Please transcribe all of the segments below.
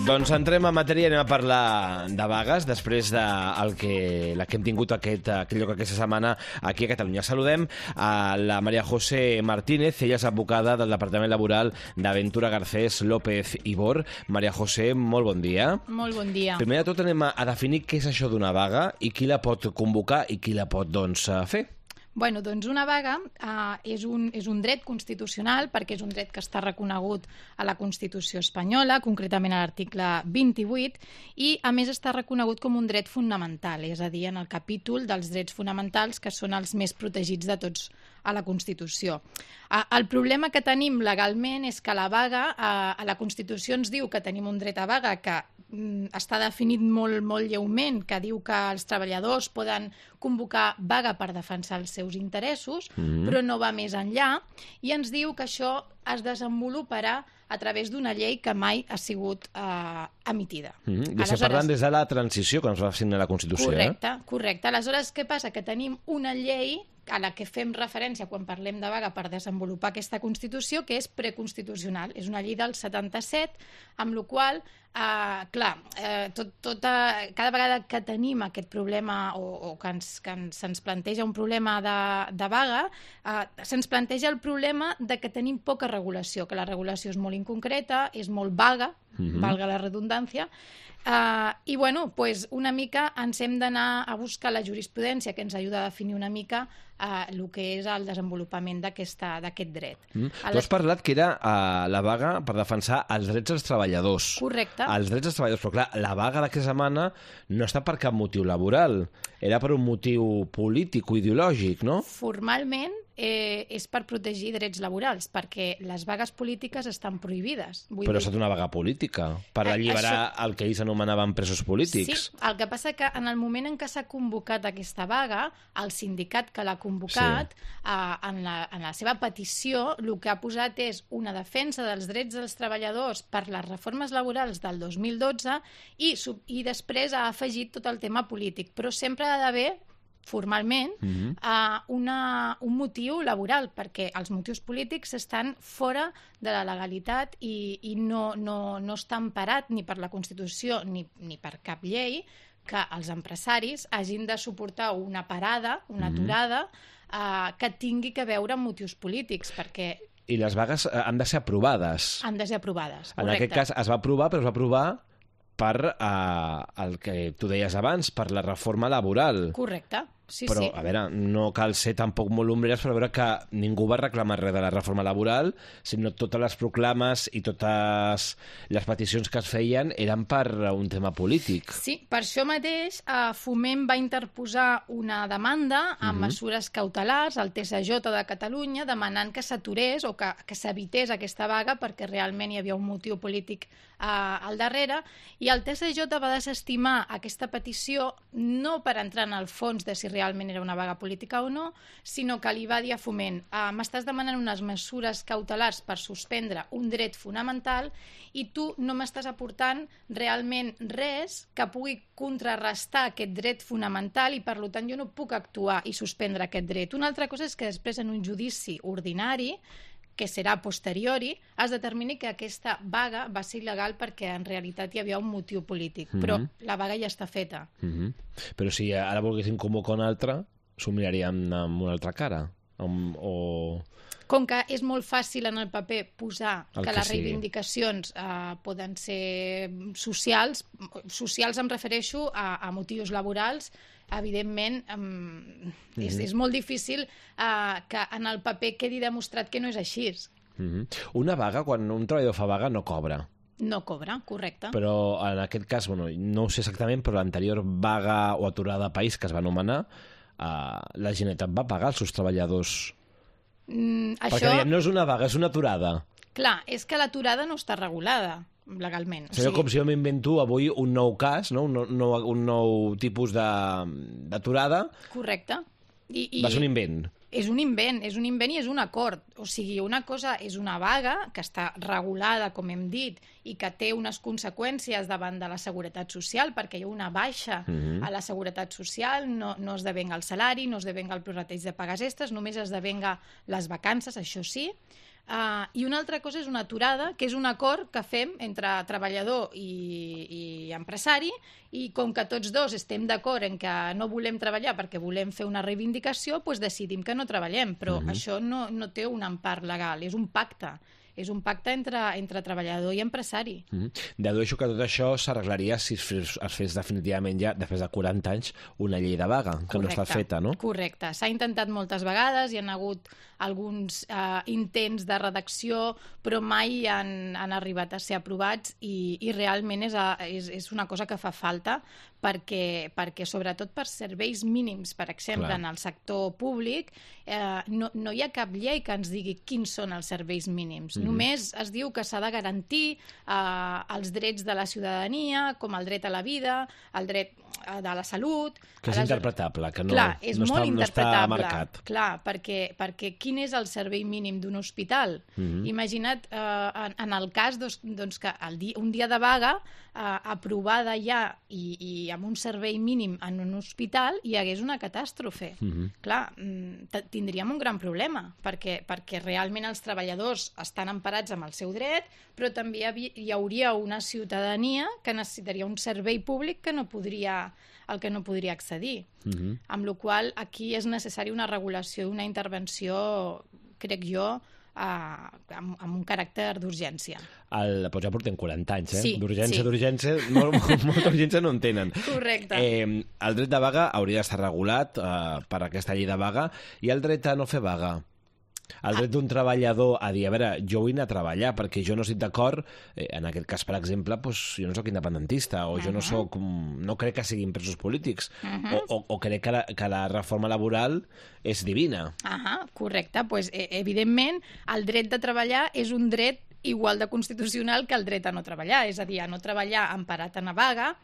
Doncs entrem en matèria i anem a parlar de vagues després de la que hem tingut aquest lloc aquesta setmana aquí a Catalunya. Saludem a la María José Martínez, ella és advocada del Departament Laboral d'Aventura Garcés López i Bor. María José, molt bon dia. Molt bon dia. Primer de tot anem a definir què és això d'una vaga i qui la pot convocar i qui la pot fer. Bueno, doncs una vaga és un dret constitucional perquè és un dret que està reconegut a la Constitució espanyola, concretament a l'article 28, i a més està reconegut com un dret fonamental, és a dir, en el capítol dels drets fonamentals que són els més protegits de tots a la Constitució. El problema que tenim legalment és que la vaga, a la Constitució ens diu que tenim un dret a vaga que està definit molt lleument, que diu que els treballadors poden convocar vaga per defensar els seus interessos, però no va més enllà, i ens diu que això es desenvoluparà a través d'una llei que mai ha sigut emitida. I estem parlant des de la transició, quan es va signar la Constitució. Correcte. Aleshores, què passa? Que tenim una llei a la que fem referència quan parlem de vaga per desenvolupar aquesta Constitució, que és preconstitucional. És una llei del 77, amb la qual cada vegada que tenim aquest problema o que se'ns planteja un problema de vaga, se'ns planteja el problema de que tenim poca regulació, que la regulació és molt inconcreta, és molt vaga, valga la redundància, i bueno, pues una mica ens hem d'anar a buscar la jurisprudència que ens ajuda a definir una mica el que és el desenvolupament d'aquest dret. Tu has parlat que era la vaga per defensar els drets dels treballadors. Correcte. Els drets dels treballadors, però clar, la vaga d'aquesta setmana no està per cap motiu laboral, era per un motiu polític o ideològic, no? Formalment és per protegir drets laborals, perquè les vagues polítiques estan prohibides. Però ha estat una vaga política, per alliberar el que ells anomenaven presos polítics. Sí, el que passa que en el moment en què s'ha convocat aquesta vaga, el sindicat que l'ha convocat, en la seva petició, el que ha posat és una defensa dels drets dels treballadors per les reformes laborals del 2012 i després ha afegit tot el tema polític, però sempre ha d'haver formalment un motiu laboral, perquè els motius polítics estan fora de la legalitat i no està emparat ni per la Constitució ni per cap llei que els empresaris hagin de suportar una parada, una aturada, que tingui que veure amb motius polítics, perquè... I les vagues han de ser aprovades. Han de ser aprovades, correcte. En aquest cas es va aprovar, però es va aprovar per el que tu deies abans, per la reforma laboral. Correcte, sí. Però, a veure, no cal ser tampoc molt ombreres per veure que ningú va reclamar res de la reforma laboral, sinó totes les proclames i totes les peticions que es feien eren per un tema polític. Sí, per això mateix Foment va interposar una demanda amb mesures cautelars al TSJ de Catalunya demanant que s'aturés o que s'evités aquesta vaga perquè realment hi havia un motiu polític al darrere, i el TSJ va desestimar aquesta petició no per entrar en el fons de si realment era una vaga política o no, sinó que li va dir a Foment: m'estàs demanant unes mesures cautelars per suspendre un dret fonamental i tu no m'estàs aportant realment res que pugui contrarrestar aquest dret fonamental i per tant jo no puc actuar i suspendre aquest dret. Una altra cosa és que després en un judici ordinari, que serà a posteriori, es determini que aquesta vaga va ser il·legal perquè en realitat hi havia un motiu polític, però la vaga ja està feta. Però si ara volguéssim convocar una altra, s'ho mirarien amb una altra cara? Com que és molt fàcil en el paper posar que les reivindicacions poden ser socials em refereixo a motius laborals, evidentment és molt difícil que en el paper quedi demostrat que no és així. Una vaga, quan un treballador fa vaga, no cobra. No cobra, correcte. Però en aquest cas, no ho sé exactament, però l'anterior vaga o aturada de país que es va anomenar, la Generalitat va pagar als seus treballadors. Perquè no és una vaga, és una aturada. Clar, és que l'aturada no està regulada legalment. Seria com si jo m'invento avui un nou cas, no? un nou tipus d'aturada. Correcte. Va ser un invent. És un invent i és un acord. O sigui, una cosa és una vaga que està regulada, com hem dit, i que té unes conseqüències davant de la seguretat social, perquè hi ha una baixa a la seguretat social, no es devenga el salari, no es devenga el prorrateig de pagues extres, només es devenga les vacances, això sí. I una altra cosa és una aturada, que és un acord que fem entre treballador i empresari, i com que tots dos estem d'acord en que no volem treballar perquè volem fer una reivindicació, doncs decidim que no treballem, però això no té un empar legal, és un pacte. És un pacte entre treballador i empresari. Dedueixo que tot això s'arreglaria si es fes definitivament ja, després de 40 anys, una llei de vaga, que no està feta, no? Correcte. S'ha intentat moltes vegades, hi ha hagut alguns intents de redacció, però mai han arribat a ser aprovats i realment és una cosa que fa falta perquè sobretot per serveis mínims, per exemple, en el sector públic, no hi ha cap llei que ens digui quins són els serveis mínims. Només es diu que s'ha de garantir els drets de la ciutadania, com el dret a la vida, el dret de la salut... Que és interpretable, que no està marcat. Clar, perquè quin és el servei mínim d'un hospital? Imagina't, en el cas que un dia de vaga aprovada ja i amb un servei mínim en un hospital hi hagués una catàstrofe. Clar, tindríem un gran problema, perquè realment els treballadors estan emparats amb el seu dret, però també hi hauria una ciutadania que necessitaria un servei públic al que no podria accedir. Amb la qual cosa aquí és necessari una regulació i una intervenció, crec jo, amb un caràcter d'urgència. Però ja portem 40 anys, Sí, d'urgència, molta urgència no en tenen. Correcte. El dret de vaga hauria d'estar regulat per aquesta llei de vaga, i el dret a no fer vaga. El dret d'un treballador a dir, a veure, jo vull anar a treballar perquè jo no estic d'acord, en aquest cas, per exemple, jo no sóc independentista, o jo no crec que siguin presos polítics, o crec que la reforma laboral és divina. Correcte. Evidentment, el dret de treballar és un dret igual de constitucional que el dret a no treballar, és a dir, a no treballar emparat en la vaga.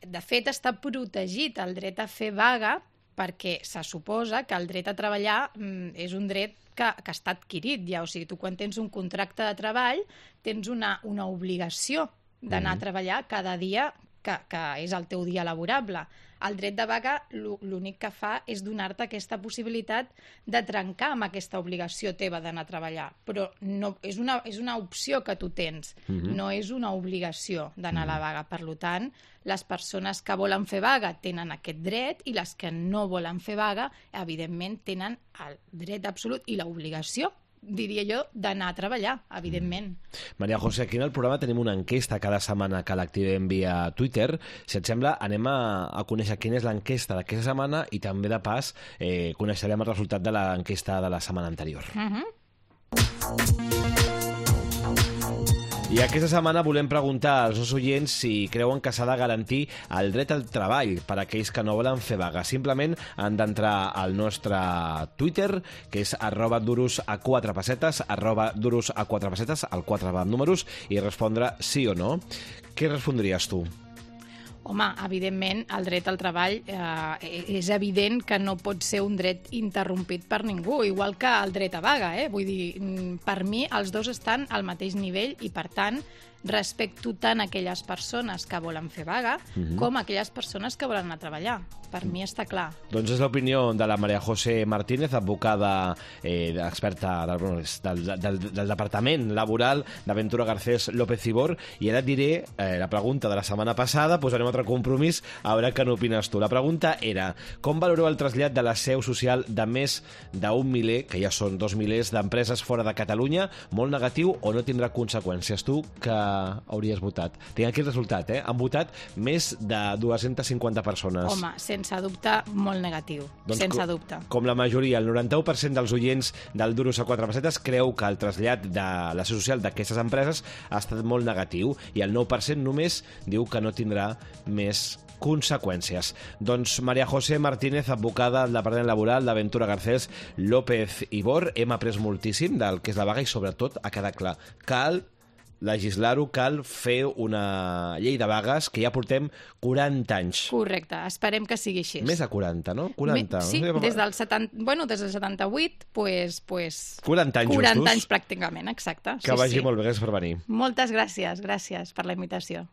De fet, està protegit el dret a fer vaga perquè se suposa que el dret a treballar és un dret que està adquirit ja. O sigui, tu quan tens un contracte de treball tens una obligació d'anar a treballar cada dia que és el teu dia laborable. El dret de vaga l'únic que fa és donar-te aquesta possibilitat de trencar amb aquesta obligació teva d'anar a treballar. Però no, és una opció que tu tens, no és una obligació d'anar a la vaga. Per tant, les persones que volen fer vaga tenen aquest dret i les que no volen fer vaga, evidentment, tenen el dret absolut i l'obligació, diria jo, d'anar a treballar, evidentment. Maria José, aquí en el programa tenim una enquesta cada setmana que l'activem via Twitter. Si et sembla, anem a conèixer quina és l'enquesta d'aquesta setmana i també, de pas, coneixerem el resultat de l'enquesta de la setmana anterior. I aquesta setmana volem preguntar als nostres oients si creuen que s'ha de garantir el dret al treball per a aquells que no volen fer vaga. Simplement han d'entrar al nostre Twitter, que és @duros4pessetes, @duros4pessetes, el 4 va amb números, i respondre sí o no. Què respondries tu? Home, evidentment, el dret al treball és evident que no pot ser un dret interrompit per ningú, igual que el dret a vaga. Vull dir, per mi els dos estan al mateix nivell i, per tant, respecto tant aquelles persones que volen fer vaga com aquelles persones que volen anar a treballar. Per mi està clar. Doncs és l'opinió de la Maria José Martínez, advocada experta del Departament Laboral d'Aventura Garcés López Ibor, i ara et diré la pregunta de la setmana passada, posarem altre compromís, a veure què n'opines tu. La pregunta era: com valoreu el trasllat de la seu social de més d'un miler, que ja són 2 milers, d'empreses fora de Catalunya? Molt negatiu o no tindrà conseqüències? Tu, que hauries votat? Tinc aquí el resultat, Han votat més de 250 persones. Home, sense dubte, molt negatiu. Doncs sense dubte. Com la majoria, el 91% dels oients del Duros a 4 pessetes creu que el trasllat de la seu social d'aquestes empreses ha estat molt negatiu, i el 9% només diu que no tindrà més conseqüències. Doncs Maria José Martínez, advocada del Departament Laboral d'Aventura Garcés López Ibor, hem après moltíssim del que és la vaga i, sobretot, ha quedat clar: cal legislar-ho, cal fer una llei de vagues, que ja portem 40 anys. Correcte, esperem que sigui així. Més de 40, no? 40. Sí, des del 78, pues 40 anys 40 justos. anys pràcticament, exacte. Que vagi molt bé, gràcies per venir. Moltes gràcies per la invitació.